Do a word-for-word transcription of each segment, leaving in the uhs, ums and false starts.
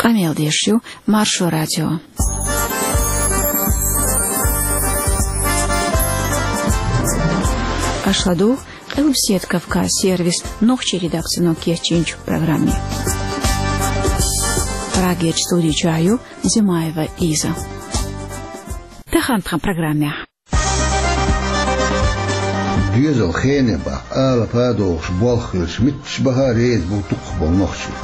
Къамел деш ю Маршо радио. Аша ладугӀу Къилбаседа Кавказ сервисан нохчийн редакцино кечйинчу программе. Прагерчу студи чохь ю Зимаева Лиза. Тахана тхан программехь. Доьзал хене баккха, алапа а дохуш болх хилча, метташ баха а реза бу дукхахболу нохчий.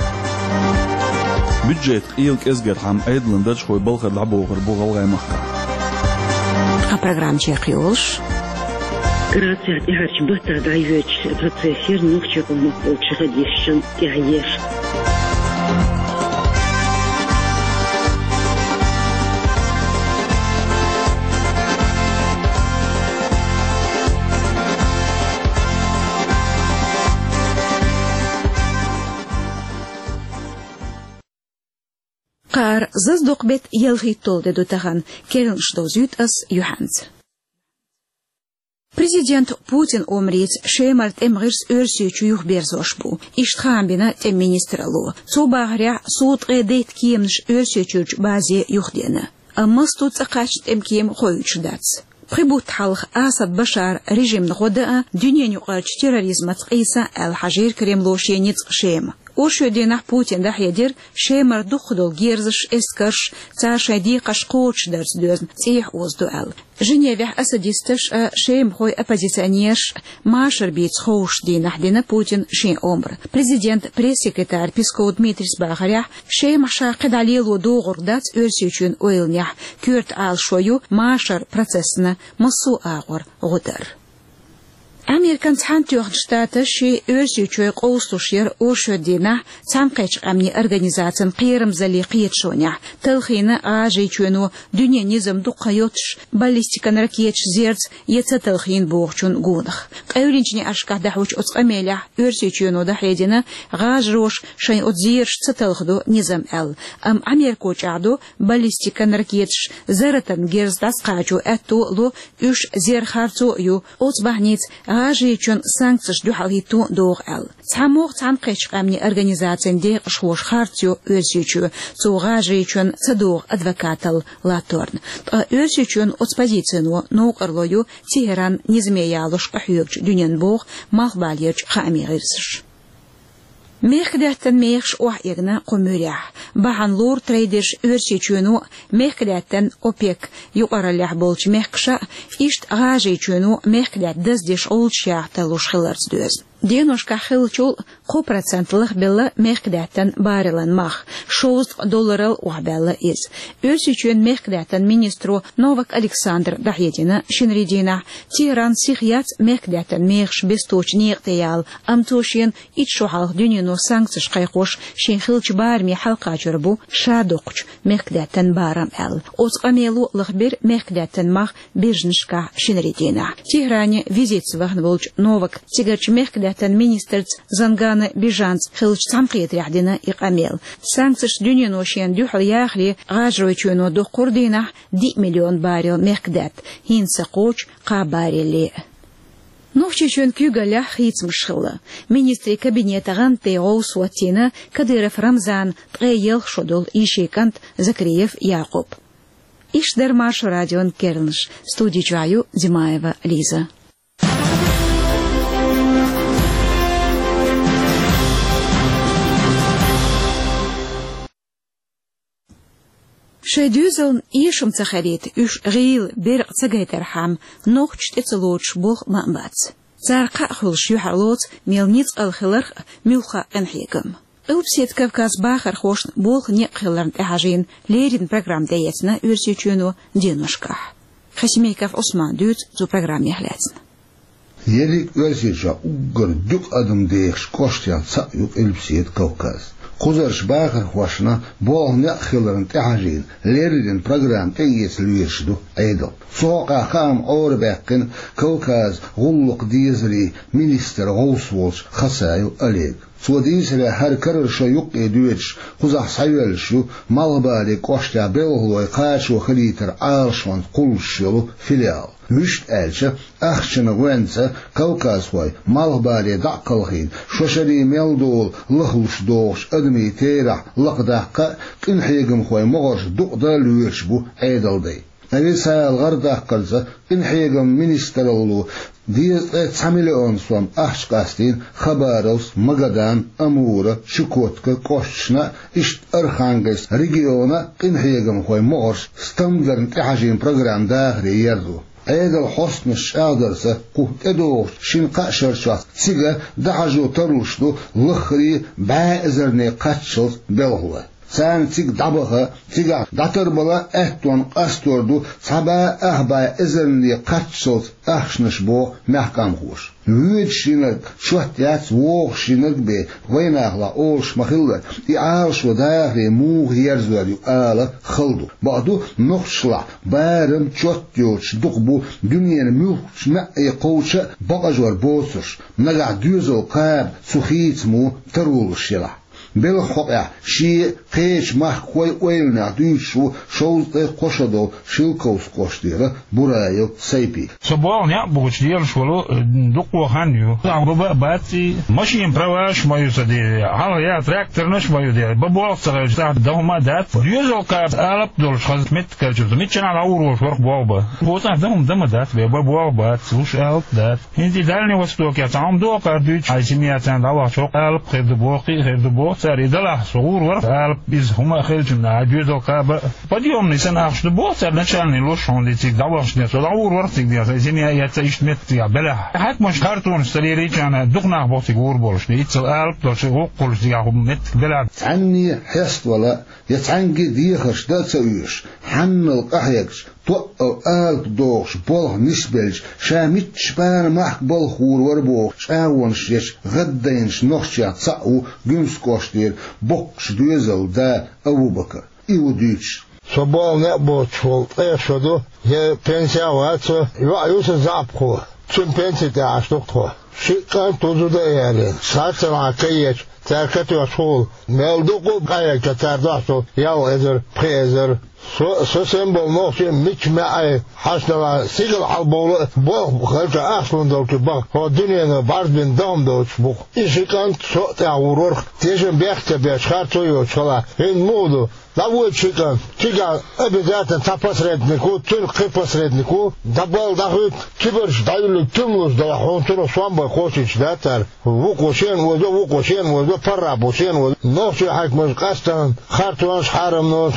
Бюджет къела кӀезгархьама Ӏедалан даржхой балхара дӀабохур бу ГӀалгӀай махкахь. Тхан программа чекхйолуш. Грацехь тӀаьхьарчу баттахь дӀайоьдучу процессера нохчийн къомах болчу хадисшан тӀаьхьа еш. Кхара зазадоккху беттан ялхитталгӀа де ду тахана, керланаш довзуьйту ас юьхьанца. Президент Путин омрица Шемара тӀеман гӀирс Оьрсийчу юхаберзош бу. Иштта хаам бина тӀеман министралло. Цо бахарехь, сов ткъе дейтта кеманаш Оьрсийчуьрчу базе юхадеана. Амма массо а цӀа кхаьчна тӀеман кема хоуьйтуш дац. Пхи бутт хьалха Асад Башаран режимна гӀо дан а, дуьненаюкъарчу терроризмаца къийсан а аьлла хьажийра Кремло шен ницкъ Шема. Оршотдийнахь Путина дӀахьедира Шемара дукхахдолу герзаш, эскарш, цара шайн декхарш кхочушдарца доьзна цӀехьа озадо аьлла. Женевехь асадисташ а, шемахойн оппозиционераш а машар бийца ховшучу дийнахь дина Путина шен омра. Президентан пресс-секретарь Песков Дмитрийс бахарехь, Шемахь ша кхидӀа лело догӀург дац Оьрсийчоьнан ойланехь, коьрта Ӏалашо ю машаран процессана массо а агӀор гӀо дар. Американ Цхьаьнатоьхначу Штаташа Оьрсийчоь къовсалуш яра оршотдийнахь Цхьаьнакхеттачу Къаьмнийн Организацин кхерамзаллин кхеташонехь, талхийна ГӀажарийчоьно дуьненан низам дукха йоцуш баллистикан ракеташ зерза я ца талхийна бохучун гонах. Къевлинчу неӀаршкахь дӀахьочу оцу къамелехь Оьрсийчоьно дӀахьедина, гӀажароша шайн оцу зераш ца талхадо низам аьлла, амма Америко чӀагӀдо баллистикан ракеташ зарратан герз дӀасакхачо аьтто а ло, уьш зер харцо а ю, оцу бахьаница ГӀажарийчоьнна санкцеш дуьхьал хӀитто а догӀу аьлла. ЦхьамогӀа Цхьаьнакхеттачу Къаьмнийн Организацин декъашхоша харц йо Оьрсийчоь, цо ГӀажарийчоьнна ца догӀу адвокаталла латторна. Ткъа Оьрсийчоьнан оцу позицино новкъарло ю Тегеран низаме ялош къахьоьгучу дуьненна, боху малхбалерчу хаамийн гӀирсаша. Мехкадаьттан мехаш охьаэгна кху муьрехь. Бахьана лору трейдерш Оьрсийчоьно а, мехкадаьттан ОПЕК юкъараллехь болчу мехкаша а, иштта ГӀажарийчоьно а мехкадаьтта даздеш гӀулчаш яха тарлуш хиларца доьзна. Деношкахь хиллачул а кхо процент лахбелла мехкадаьттан баррелан мах, шовзткъа долларал охьабаьлла иза. Оьрсийчоьнан мехкадаьттан министро Новак Александра дӀахьедина шинарин дийнахь, Тегеран сиха яц мехкадаьттан мехаш бесточу некъа тӀе яла, амма цо шена итт шо хьалха дуьнено санкцеш кхайкхош шен хиллачу бараме хьалакхачор бу ша доккхучу мехкадаьттан барам аьлла. Оцу къамело лахбира мехкадаьттан мах биржинашкахь шинарин дийнахь. Тегеране визитца вахана волчу Новака цигарчу мехкадаьттан министрца Зангана Бижанца хиллачу цхьаьнакхетарехь дина и къамел. Санкцеша дуьнено шена дуьхьал яхаре ГӀажарийчоьно доккхура дийнахь диъ миллион баррел мехкадаьтта, хӀинца ца кхочу кхаа барреле а. Нохчийчоьнан куьйгаллехь хийцамаш хилла. Министрийн кабинетан гӀантден гӀовс хӀоттийна Кадыров Рамзанан ткъе ялх шо долу йишин кӀант Закриев Якъуб. Иштта дара Маршо радион керланаш. Студи чохь ю Зимаева Лиза. Шайн доьзална эшам ца хилийта, уьш гӀийла, беркъа ца гайтархьама, нохчаша тӀе ца лоцуш болх ма бац. Цара кхаъ хуьлуш юьхьарлоцу, мел ницкъала хиларх а, муьлхха а къинхьегам. Къилбаседа Кавказан бахархошна болх, некъ хиларна тӀехьажийна леррина программа тӀеэцна Оьрсийчоьно деношкахь. Хасимиков Ӏусмана дуьйцу цу программех лаьцна. Ерриг Оьрсийчохь уггар дукха адам дехачу кӀоштех цхьаъ ю Къилбаседа Кавказ. Кхузарчу бахархошна болх, некъ хиларна тӀехьажийна леррина программа тӀеэца лоьруш ду Ӏедал. Цу хьокъехь хаам Ӏорабаьккхина Кавказан гӀуллакхан дезарийн министран гӀовс волчу Хасаев Олега. Цо дийцарехь, хӀара карара шо юккъе доьдуш, кхузахь схьайоьллуш ю Малхбален кӀоштехь белхалой кхачо хилийтаран Ӏалашонца кхуллуш йолу филиал. Вуьшта аьлча, ахчанан гӀоьнца кавказхой Малхбале дӀа а кхалхийна, шо шаре мел долу лахлуш догӀучу адамийн терахь лакхадаккха а, къинхьегамхойн могӀарш дукъадан а лоьруш бу Ӏедалдай. Официалан гӀарадаккхарца, къинхьегаман министралло дезткъе цхьа миллион сом ахча къастийна Хабаровск, Магадан, Амура, Чукотка кӀошташна а, иштта Архангельск региона а къинхьегамхойн могӀарш стамдарна тӀехьажийна программа дахаре ерзо. Ӏедалан хьостанаша чӀагӀдарца, кху тӀедогӀучу шина-кхаа шарчохь цига дӀахьажо тарлуш ду лаххарий бӀе эзарний кхаччалц белхалой. Царна цига дӀабаха, цигахь дӀатарбала а аьттонна къастор ду цхьа бӀе ах бӀе эзарний кхаччалц ахчанаш, боху мехкамхоша. Воьдуш йинарг чот яц, вогӀуш йинарг бен, вайнахалахь олуш ма-хиллара, и Ӏалашо дахаре муха ерзор ю ала хала ду. Бакъду, нохчашлахь барам чот йоцуш дукха бу дуьненан муьлххачу маьӀӀе кхочуш а бакъажор боцурш, нагахь доьзал кхаба цу хийцамо таро луш елахь. Белхан хьокъехь шен а, кхечу махкахойн а ойланех дуьйцуш ву шовзткъе кхо шо долу Шелковски кӀоштара Бураев Сайпи. Со болх некъ бохучу лелаш волу, э, дукха хан ю. Ахь баба а бац и, машенан праваш а ма ю сан де, хьалха яц тракторнаш а ма ю де, бан болх ца хилча, цхьа дан хӀума а дац. Доьзал кхаба алапа долуш хаза меттиг хилча, миччанхьа дӀагӀур волуш вара-кх болх бан. Оцу ахь дан хӀума дан ма дац бен, бан болх бац, луш алапа дац. ХӀинца и Дальний Востокехь цхьа хӀума догӀу кхара дуьйцуш, хьайн семья царна дӀавахча, хӀокху алапа хир ду боху-кх, хир ду боху цара. И далахь со гӀур вара алапа, иза хӀума а хилчунна, а доьзал кхаба а. Подъёмный санна ахча ду боху цара, начальный луш хьуна де цига дӀавахча де. Со дӀагӀур вара цига де, хьайн семья эцца иштта меттигехь белахь. Хьаькамаша хартонаш ца лелийча, дукха нах боху цига гӀур болуш де. Иццал алапа долуш, гӀуллакх хуьлуш цигахь хӀума меттиг белахь. Цхьанне хьеставала, я цхьаьнгге дехарш дан а ца оьшуш, хьаннал къахьегча, тоъал алапа догӀуш болх нисбелча, ша мичча бана махка балха гӀур вара боху чӀагӀонаш ечу гӀаддайначу нохчех цхьаъ ву Гуьмсан кӀоштара боккхачу доьзалан да Абу-Бакар. И ву дуьйцуш. Со болх некъ боцуш волу ткъех шо ду, я пенсиехь а вац со, йоӀ ю сан заьӀапхо, цуьнан пенси тӀехь Ӏаш ду-кх тхо. Шиъ кӀант ву зуда а ялийна, цхьацца нахьа ка еча, цара ка тоьхча хула, мел дукха а къахьегча, цара дохьуш долу ялх эзар, пхи эзар. Со а, со санна болу нохчий а мичча маьӀӀе хьаьшна далахь, сигала хьалабовла а, болх хилча, ахча лун долчу баха, хӀокху дуьненан бӀаьрг бина дан хӀума доцуш бу-кх. И ши кӀант со а тӀехь гӀур вара-кх, тешам бехк ца беш, харцо йоцуш хилахь. ХӀинца муха ду? ДӀавоьду ши кӀант, цигахь обязательно цхьа посредник ву, цуьнан кхин посредник ву, дӀабала дӀахуьйту, кибарчу дӀаюьллург туьмалуш далахь, хьуна цунах сом бан кхочуьйтуш дац цара. Вукхо шена озо, вукхо шена озо, паргӀатбо шена озо. Нохчийн хьаькамаша къаьстина харцонаш, хьарамнаш,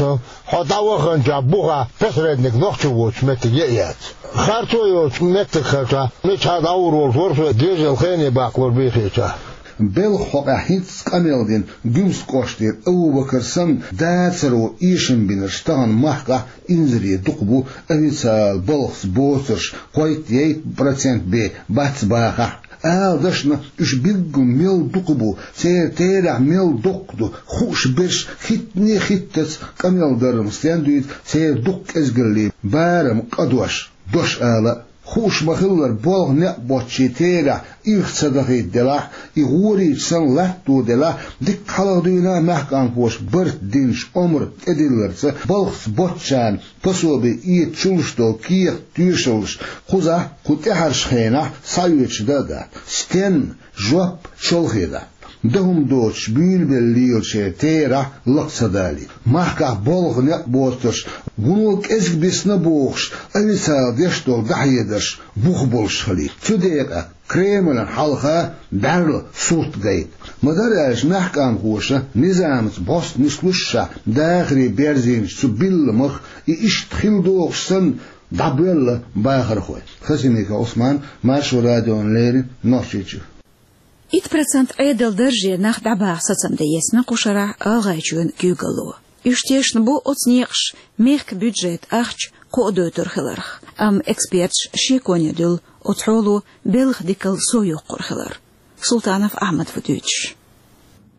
хьо дӀаваханчохь бухахь посредник нохчо воцуш меттиг я а яц. Харцо йоцуш меттиг хилча, миччахьа дӀагӀур волуш вара со, доьзал хене баккхалур бийхича. Белхан хьокъехь хӀинцца къамел дина Гуьмсан кӀоштара Абу-Бакар санна, дацаро эшам бинарш тахана махкахь инзаре дукха бу, официалан балхаца боцурш кхойтта-ейтта процент бен бац бахахь. Ала дашна, уьш билггал мел дукха бу, церан терахь мел доккха ду, хууш берш хӀиттане а хӀиттац къамел дарна стен дуьйцу церан дукха кӀезгаллин барам къадош, дош ала а. Хууш ма-хиллара, болх некъ боцчийн терахь ирх ца дахийта делахь, и гӀорийча санна латто делахь, дикка хьалха дуьйна а мехкамхоша барт динчу омра тӀедилларца, балхаца боцчарна пособи эца чулуш долу кехат, тоьшаллаш кхузахь, кху тӀаьхьарчу хенахь схьаоьцуш дан а дац. Стенна? Жоп чолхе дац. Дан хӀума доцуш буьйлабелла лелачеран терахь лакха ца далийта. Махкахь болх некъ боцурш, вуно кӀезиг бисна бохуш, официалан деш долу дӀахьедарш бух болуш хилийта. Цу декъехь Кремлана хьалха бӀаьрла сурт гайта. Ма-дарра аьлча, мехкамхоша низамца бӀостанан нислушшехь дахаре берзийначу цу билламах и иштта хила догӀуш санна дӀабоьлла бахархой. Хасимиков Ӏусман, Маршо радиона леррина, Нохчийчуьра. Итт процент Ӏедалан дарже нах дӀабаха сацам дан езна кху шарахь ГӀалгӀайчоьнан куьйгалло. Уьш тешна бу оцу некъаша мехкан бюджетан ахча кхоадойтур хиларх, амма эксперташа шеконе дуьллу оцу хьоло белхан дикалла сов йоккхур хилар. Султанов Ахьмад ву дуьйцуш.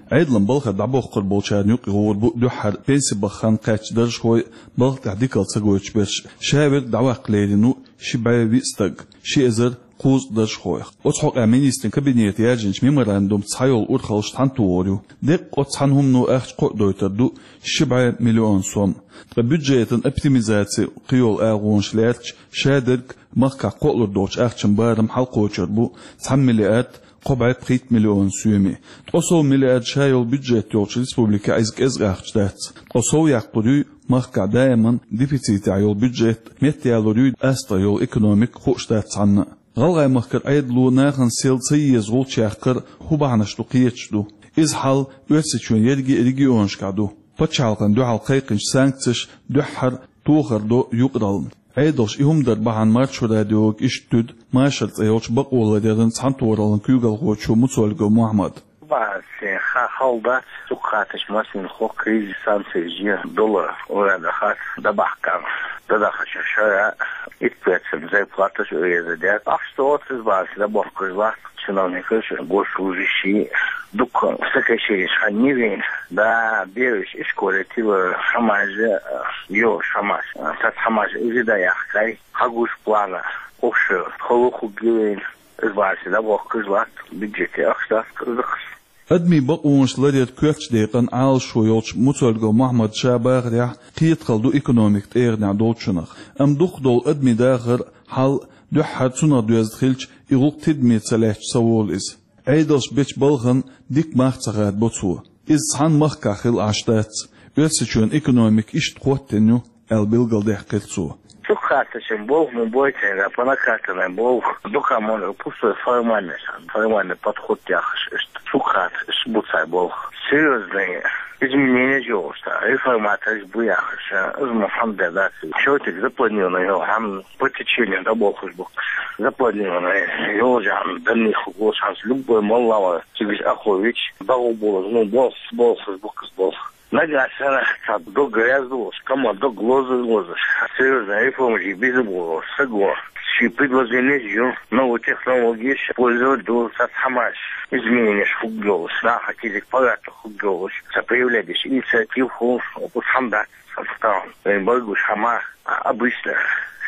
Ӏедалан балхара дӀабохкур болчарна юкъа гӀур бу дуьххьара пенси баха хан кхаьчна даржхой, балха тӀехь дикалла ца гойтуш берш. Ша верг дӀаваккха лерина ву ши бӀе виъ стаг, ши эзар кхузткъа даржхойх. Оцу хьокъехь министрийн кабинето яьржинчу меморандумца схьайолу урхаллаш цхьаьна тухур ю. Деккъа оцу цхьана хӀумано ахча кхоадойтур ду ши бӀе миллион сом. Ткъа бюджетан оптимизаци кхийолу агӀонаш лаьрча, шадерг махкахь кхоалур долчу ахчан барам хьалакхочур бу цхьана миллиард кхо бӀе пхийтта миллион соьме. Ткъа сов миллиард ша йолу бюджет йолчу республикехь иза кӀезиг ахча дац. Ткъа сов яккхур юй махкахь даиман дефицитехь йолу бюджет, меттаялур юй астагӀа йолу экономика, хууш дац цхьанна. ГӀалгӀай махкара Ӏедало нахана сел ца еза гӀулч яккхар хӀун бахьанаш ду кхеташ ду. Иза хьал Оьрсийчоьнан ерриге а регионашкахь ду. Пачхьалкхана дуьхьал кхайкхинчу санкцеша дуьххьара тохар до юкъараллина. Ӏедалша и хӀума дар бахьана Маршо радиога иштта туьду Машар цӀе йолчу бакъоларъяран цхьаьнатохараллин куьйгалхочо Муцольгов Мухьаммада. Баьсса хан хала дац, цу кхаташ массанхьа кризис санкцеш долу урада хац, дабахкан, дадахача шара итт процент зарплаташ уреза деш. Ахча оццуз баьсса дабохкуш лац чиновникаш, госслужащий, дукха сокращенеш хан йивина. Да, бераш ишколе тилла хьамажа, йо, хьамаш, цац хьамаш иза да яхкай, хьагуш плана, общий, холу хуггивина. Иза баьсса дабохкуш лац, бюджете ахча дац кхузахаш. Адамийн бакъонаш ларъяран коьртачу декъан Ӏалашо йолчу Муцольгов Мухьаммада ша бахарехь, кхетахалла ду экономика тӀегӀанехь долчунах. Амма дукхахдолу адамийн дахар, хьал дуьххьара цунах доьзна хилча, и гӀуллакх тидаме ца лаьцча ца волу иза. Ӏедалша бечу балхана дика мах ца хадабо цо. Иза цхьана махкахь хилла Ӏаш дац. Оьрсийчоьнан экономика иштта хӀоттийна ю, аьлла билгалдаьккхира цо. Цу кхаташан болх ма бойтийна, по накатанной болх, дукха ма ю, пустой формальный, формальный подход яхаш иштта. Цу кхаташ иштта бу цхьа болх. Серьёзные изменения йолуш, реформаторш бу яхаш, иза ма хьамда дац. Всё-таки запланированный йолу хьама по течению дӀаболхуш бу. Запланированный йолу хьама даннийх гуш хьамс любой молла ван цигаш ахович, дагӀу болуш, ну, болх, болхуш бу кхуза болх. Нагахь санна цхьа дог грязь долуш, кама дог лозуш, серьёзная реформа жи беза болуш, саго. Ши предложение жи, новые технологии пользовать ду, цхьа хьамаш, измененеш хугдолуш, наха кизик пагатта хугдолуш, ца проявлять деш инициатив ху, хьамда, сан стан. Вайн байгуш хьама, обычно,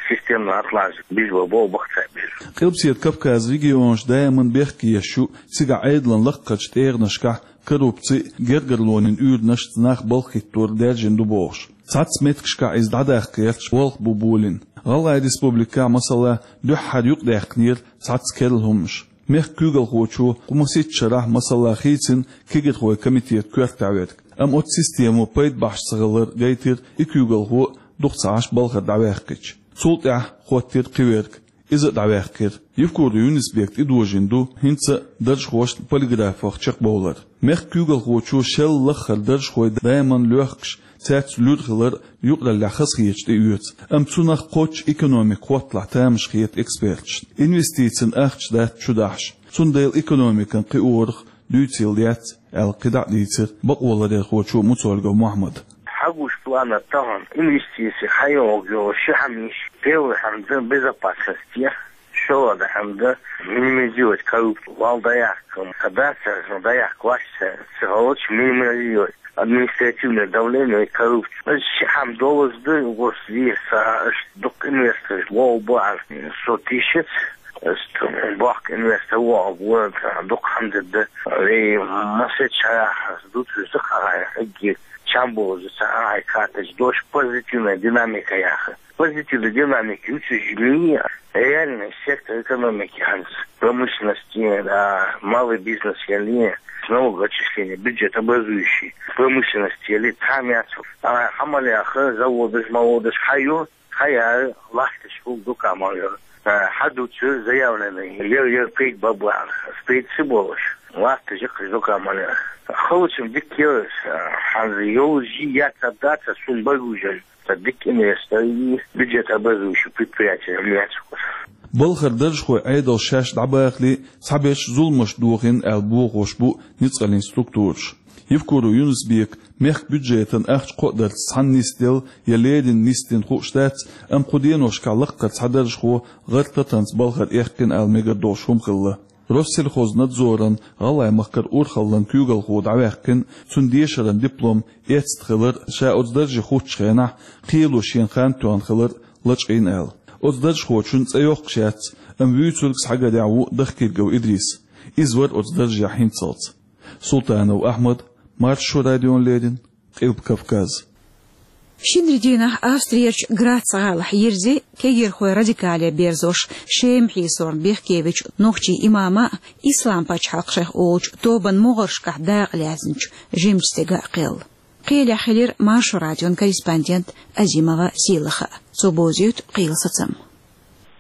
системно отлаживать, без бо, бо, бахца без. Къилбаседа Кавказан регионаш даиман бехке еш ю, цигахь Ӏедалан лакхарчу тӀегӀанашкахь коррупци, гергарлонийн уьйранашца нах балха хӀиттор даьржина ду бохуш. Цхьацца меттигашкахь иза дӀадаккха гӀерташ болх бу болийна. ГӀалгӀай Республикехь, масала, дуьххьара юкъадаьккхинера цхьацца керла хӀуманаш. Мехкан куьйгалхочо кху масийтта шарахь, масала, хийцина кегирхойн комитетан коьртехь верг. Амма оцу системо пайда бахьаш ца хилар гайтира и куьйгалхо а дукха ца Ӏаш балхара дӀаваьккхича. Цул тӀаьхьа хӀоттийра кхин верг. Иза а дӀаваьккхира. Евкуров Юнус-Бека тӀедожийна ду хӀинца а даржхошна полиграфах чекхбовлар. Мехкан куьйгалхочо шел лаххара даржхой даиман лоьхкуш, цаьрца луьра хилар юкъараллехь хазахеташ тӀеоьцу. Амма цунах кхоччуш экономика хӀотталахь тамаш хета эксперташна. Инвестицийн ахча дац чудахьаш. Цундела экономикан кхиорах дуьйцийла яц, аьлла кхидӀа а дийцира бакъоларъярхочо Муцольгов Мухьаммада. Хьагуш плана тахана инвестиций хьайогӀу йолу ши хьамиш, первый хьамда безопасность я, шолгӀа хьамда минимизировать коррупцию, вал дӀаяккха, ца дац, ца даяккха вац, ца, ца гӀалч минимизировать административное давление и коррупцию. Ши хьама долуш ду, гос веса, аш дукха инвесторш вогӀу бу, со тишец, Ас бохк инвестор вогӀу, дукха хьамда да. Вей масет шарахь дуцуш ду хьагӀай хӀегги чам бозу ца хьагӀай каташ дош позитивная динамика яха. Позитивная динамика юцуш ми реальный сектор экономики хӀанз. Промышленность, а, малый бизнес яли, налогоотчисление, бюджет образующий, промышленность яли, там яцу. А, хьамал яха, заводаш, маводаш хьаю, Хьаяр лахташ хӀума дукха ма ю. Э, хьадуцур заявленный, ер, ер пейд бабан, пейд ца болуш. Лахташ яккхаш дукха ма ю. Халучун дика ю, э, хьанза йолу жи яц а дац а сун багужал. Ца дика инвестор и бюджет образующий предприятие яц. Балхара даржхой Ӏедал шаьш дӀабахале, цхьаберш зуламаш дохийна аьлла бохош бу ницкъаллин структураш. Евкуров Юнус-Бека мехкан бюджетан ахча кхоадарца цхьаьна нисделла я леррина нисдина хууш дац, амма кху деношкахь лаккхара цхьа даржхо гӀар татанца балхара эккхина аьлла мегар долуш хӀума хилла. Россельхознадзоран ГӀалгӀай махкара урхаллан куьйгалхо дӀаваьккхина, цуьнан дешаран диплом эцна хилар, ша оцу дарже хӀуттучу хенахь кхело шена хан тоьхна хилар лачкъийна аьлла. Оцу даржхочун цӀе йоккхуш яц, амма вуьйцург схьагадехь ву Дахкиргов Идрис. Иза вара оцу даржехь хӀинццалц. Султанов Ахьмад, Маршо радиона леррина, Къилба Кавказ. Шинарин дийнахь Австрерчу Грац гӀалахь йирзи кегирхой радикале берзош, Шема хьийсорна бехкевечу нохчийн имама а, Ислам пачхьалкх шайх олучу тобанан могӀаршкахь дакъа лаьцначу жимачу стеган а кхел. Кхелехь хилира Маршо радион корреспондент Азимова Сийлаха. Цо бовзуьйту кхелан сацам.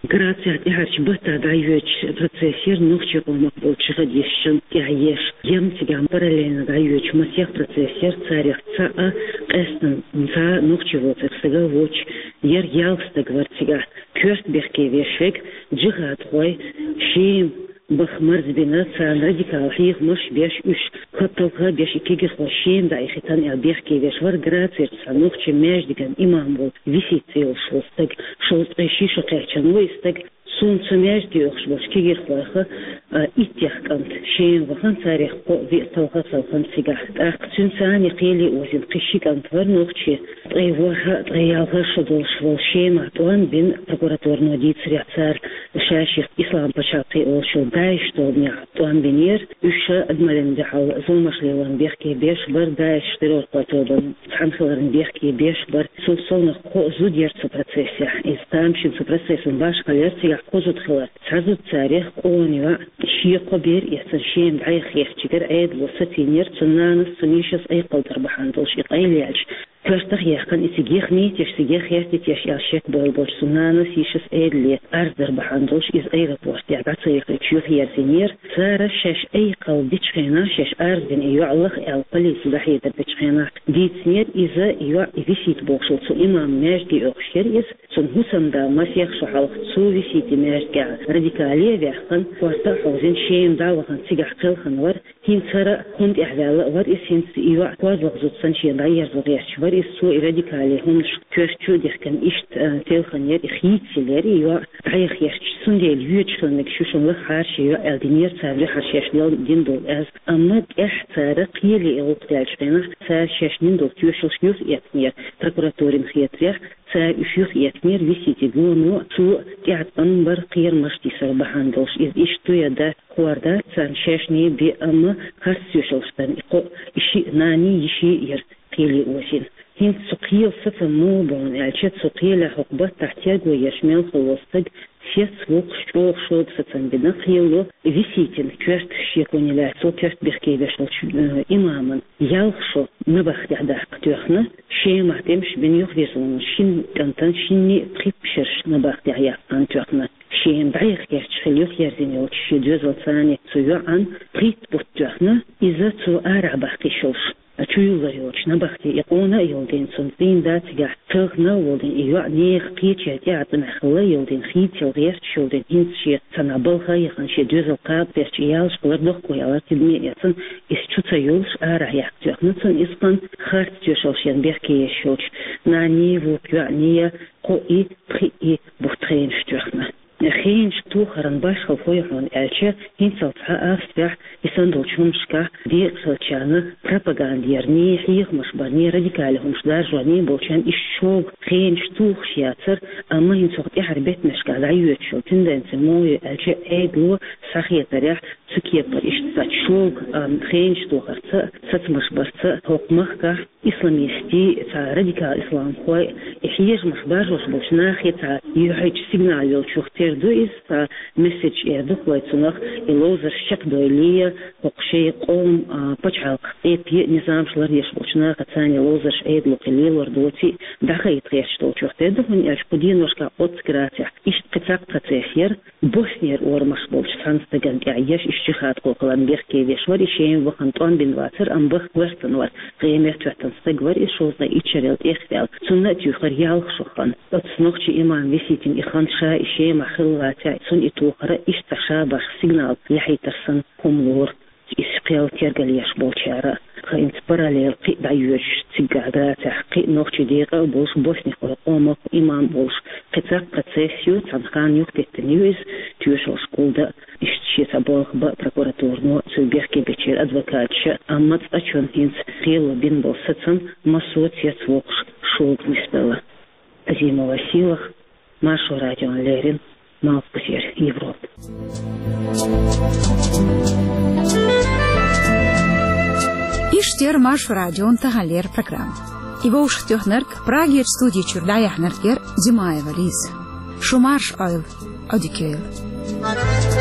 Грацехь тӀаьхьарчу баттахь дӀайоьдуш процесс яра нохчийн къомах болчу жихадисташна тӀехь еш. Яьмнан цигахь параллельно дӀайоьдуш масех процесс яра, царех цхьаъ къаьсттина цхьа нохчи воцург стаг а воцуш яра, ялх стаг вара цигахь. Коьрта бехке веш верг жихадхой, Шема баха марзбина, царна радикал хьехамаш беш, уьш хӀотталха беш, и кегирхой Шема дӀаихийтина аьлла бехке веш вара Грацерчу цхьа нохчийн маьждиган имам волу Висита цӀе йолуш волу стаг. Шовзткъе ши шо кхаьчна ву и стаг. Суна цу маьждиге оьхуш болчу кегирхойх а иттех кӀант Шема вахана, царех кхоъ-виъ талха а талхана цигахь. ТӀаккха цуьнца цхьаьна кхеле озийна кхин ши кӀант вара нохчи. Ткъе ворхӀ а, ткъе ялх а шо долуш волу Шемах тӀом бина, прокуратуро дийцарехь, цара ша-шех Ислам пачхьалкх олуш йолу ДАИШ тобанехь тӀом бинера. Уьш ша адамаллин дуьхьал зуламаш лелорна бехке беш бара, ДАИШ террорхойн тобанан цхьаьна хиларна бехке беш бара. Цул совнаха кхоъ зуда яра цу процессехь. Иза тамашийна цу процессан башхалла яра, цигахь кхо зуда хилар. Цхьа зуда царех къона йоӀ, шен кхо бер эцна Шема дӀаяха гӀертачуьнгара Ӏедало сацийнера, цуьнан нанас, цуьнан йишас айкхалдар бахьана долуш и къайлаелча, коьртах а яьккхина, и цига яха йитий, цига яха гӀертий аьлла шек бойла болчу цуьнан нанас, йишас Ӏедале арз дар бахьана долуш иза аэропортехь дӀа ца яхийтуш юхаерзийнера. Цара шаьш айкхалла дечу хенахь, шаьш арз дина и йоӀ лаха аьлла полице дӀахьедар дечу хенахь дийцинера иза, и йоӀ, и Висита бохуш волу цу имаман маьждиге оьхуш яра иза. Цуьнан хӀусамда масех шо хьалха цу Виситин маьждигехь радикале а ваьккхина, корта а хьовзийна, Шема дӀа а вахана, цигахь кхелхина вара. ХӀинца хӀара а хӀунда тӀехь ваьлла а вара иза, хӀинца и йоӀ кхозлагӀа зуда санна шена дӀаерзо гӀерташ вара иза. Цо и радикале хӀуманаш коьрта чу а дихкина, иштта, а, телхина яра, и хийцаелла яра и йоӀ дӀаяха гӀерташ. Цундела йоьдуш хила мегаш ю шуна лахахьара шен йоӀ аьлла динера цара, дуьххьара шаьш дина долу аз. Амма тӀаьхьа цара кхеле и гӀуллакх даьллачу хенахь, цара шаьш дина долу тоьшаллаш юхаэцнера, прокуратурина хетарехь, цара уьш юхаэцнера Виситин гоно, цо тӀеӀаткъам бара кхерамаш тийсар бахьана долуш. Иза иштта ду я дац, хӀара дац царна шаьшний бен, амма харц тоьшаллаш дарна и кхоъ, и шиъ нанний, йиший яра кхеле озийна. ХӀинца цу кхелан сацам муха бу аьлча, цу кхелехь хӀокху баттахь терго еш мел хилла волу стаг сецвоккхуш, чӀогӀа шога сацам бина, кхело Виситин коьрта шеконе лаьцна, коьрта бехке веш волчу, э, имаман ялх шо набахтехь даккха тоьхна, Шемахь тӀемаш бина юхавирзина шина кӀантана шинний пхи пхьарш набахтехь яккхина тоьхна. Шема дӀаяха гӀерташ хилла юхаерзийна йолчу шен доьзалца, цу йоӀан пхийтта бутт тоьхна, иза цо арахь баккхийш йолуш чуюллур йолчу набахте и къона а йолу дийна, цуьнан цӀийнда цигахь талхана а волу дийна, и йоӀ нехан кхечу тӀеӀаткъамехь хилла а йолу дийна, хийцаелла гӀерташ йолу дийна, хӀинца шен цхьана балха а яхана, шен доьзал кхаба гӀерташ, и ялш хилар дохко ялар тидаме а эцна, иза чу ца йолуш арахь яккха тоьхна цунна, иза кхана харц тоьшаллаш дарна бехке еш йолчу нанний, вукху йоӀний, кхоъ и, пхиъ и бутт хенаш тоьхна. Хенаш тохаран башхалла хӀун ю хьуна аьлча, хӀинццалц цхьа Австрехь и санна долчу хӀуманашкахь декъашхилчарна пропаганда ярний, хьехамаш барний, радикале хӀуманаш даржорний болчарна иштта шога хенаш тухуш яцара, амма хӀинца хӀокху тӀаьхьарчу беттанашкахь дӀайоьдуш йолу тенденци муха ю аьлча, Ӏедало схьахетарехь, цу кепара иштта цхьа шога, а, хенаш тохарца, сацамаш барца хӀокху махкахь исламистийн, цхьа радикал исламхойн и хьежамаш баржош болчу нахе цхьа юьхьанчу сигнал йолчух тера ду иза, цхьа месседж эр ду-кх вай цунах, и ловзарш чекхдойла, хӀокху шайн къоман, а, пачхьалкх, эппе а низамаш лардеш болчу нахаца и ловзарш Ӏедало кхин лелор доций, дӀахайта гӀерташ долчух тера ду, хӀунда аьлча кху деношкахь оццу Грацехь иштта кхин цхьа процесс яра, Боснера орамаш болчу цхьана стагана тӀехь еш, иштта жихадхой хиларна бехке веш вара, и Шема вахана тӀом бина вацара, амма баха гӀоьртина вара, гӀемер тоьттина стаг вара, иза шовзткъе итт шарел тӀехваьлла. Цунна а туьйхира ялх шо хан. Оцу нохчийн имам Виситина и хан ша и Шемахь хилла вацахь, цунна и тохар а иштта цхьа шабаш сигнал яхьийтар санна хӀума лору. Иза кхел тергалъеш болчара, хӀинца параллел кхин а дӀайоьдуш цигахь Грацехь кхин а нохчийн декъа а болуш, боснихойн къомах имам а волуш, кхин цхьа процесс ю, цхьана ханна юхатеттина ю иза, тоьшаллаш кхулда а, иштта шен цхьа болх бан а прокуратуро, цуьнан бехке бечеран адвокаташа, амма цкъачунна хӀинца кхело бина болу сацам массо а цецвоккхуш шога нисделла. Азимова Сийлаха, Маршо радион леррина малхбузера Европа. Иштта яр Маршо радион таханлера программа. И вовшахтоьхнарг, Прагера студи чуьра дӀаяьхьнарг яр Димаева Лиза. Шу марша Ӏойла, Ӏодика йойла.